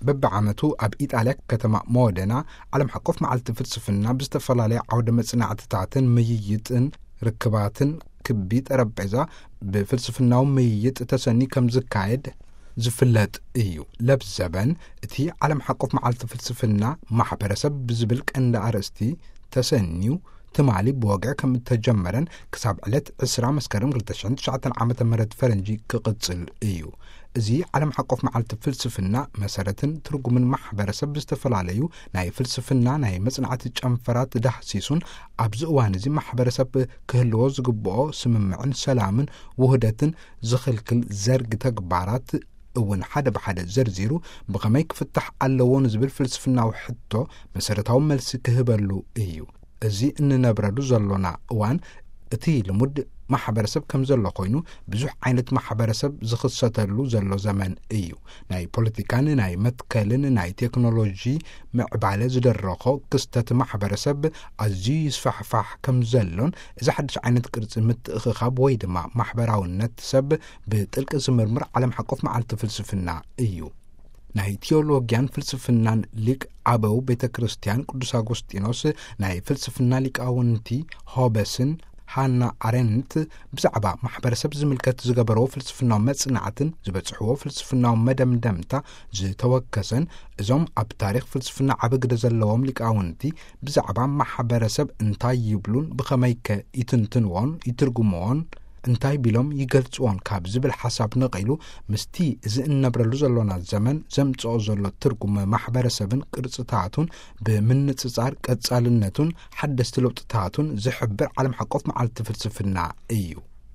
በብዓመቱ ኣብ ኢጣልያ ከተማ ሞደና ዓለም ሓቆፍ መዓልቲ ፍልስፍና ብዝተፈላለየ ዓውደ መጽናዕትታትን ምይይጥን ርክባትን ክቢ ጠረጴዛ ብፍልስፍናዊ ምይይጥ ተሰኒ ከም ዝካየድ ዝፍለጥ እዩ። ለብዘበን እቲ ዓለም ሓቆፍ መዓልቲ ፍልስፍና ማሕበረሰብ ብዝብል ቀንዲ ኣርእስቲ ተሰንዩ ትማሊ ብወግዒ ከም እተጀመረን ክሳብ ዕለት ዕስራ መስከረም ክልተ ሽሕን ትሽዓተን ዓመተ ምህረት ፈረንጂ ክቕጽል እዩ። እዚ ዓለም ሓቆፍ መዓልቲ ፍልስፍና መሰረትን ትርጉምን ማሕበረሰብ ብዝተፈላለዩ ናይ ፍልስፍና ናይ መጽናዕቲ ጨንፈራት ዳህሲሱን ኣብዚ እዋን እዚ ማሕበረሰብ ክህልዎ ዝግብኦ ስምምዕን ሰላምን ውህደትን ዝኽልክል ዘርግ ተግባራት እውን ሓደ ብሓደ ዘርዚሩ ብኸመይ ክፍታሕ ኣለዎ ንዝብል ፍልስፍናዊ ሕቶ መሰረታዊ መልሲ ክህበሉ እዩ። እዚ እንነብረሉ ዘሎና እዋን እቲ ልሙድ ማሕበረሰብ ከም ዘሎ ኮይኑ ብዙሕ ዓይነት ማሕበረሰብ ዝኽሰተሉ ዘሎ ዘመን እዩ። ናይ ፖለቲካን ናይ መትከልን ናይ ቴክኖሎጂ ምዕባለ ዝደረኾ ክስተት ማሕበረሰብ ኣዝዩ ይስፋሕፋሕ ከም ዘሎን እዚ ሓድሽ ዓይነት ቅርጺ ምትእኽኻብ ወይ ድማ ማሕበራውነት ሰብ ብጥልቂ ዝምርምር ዓለም ሓቆፍ መዓልቲ ፍልስፍና እዩ። ናይ ቲዮሎጊያን ፍልስፍናን ሊቅ ኣበው ቤተ ክርስቲያን ቅዱስ ኣጎስጢኖስ ናይ ፍልስፍና ሊቃውንቲ ሆበስን ሃና ኣረንት ብዛዕባ ማሕበረሰብ ዝምልከት ዝገበርዎ ፍልስፍናዊ መጽናዕትን ዝበጽሕዎ ፍልስፍናዊ መደምደምታ ዝተወከሰን እዞም ኣብ ታሪኽ ፍልስፍና ዓቢ ግደ ዘለዎም ሊቃውንቲ ብዛዕባ ማሕበረሰብ እንታይ ይብሉን ብኸመይከ ይትንትንዎን ይትርጉምዎን እንታይ ቢሎም ይገልጽዎን ካብ ዝብል ሓሳብ ነቒሉ ምስቲ እዚ እንነብረሉ ዘሎና ዘመን ዘምጽኦ ዘሎ ትርጉም ማሕበረሰብን ቅርጽታቱን ብምንጽጻር ቀጻልነቱን ሓደስቲ ለውጥታቱን ዝሕብር ዓለም ሓቆፍ መዓልቲ ፍልስፍና እዩ።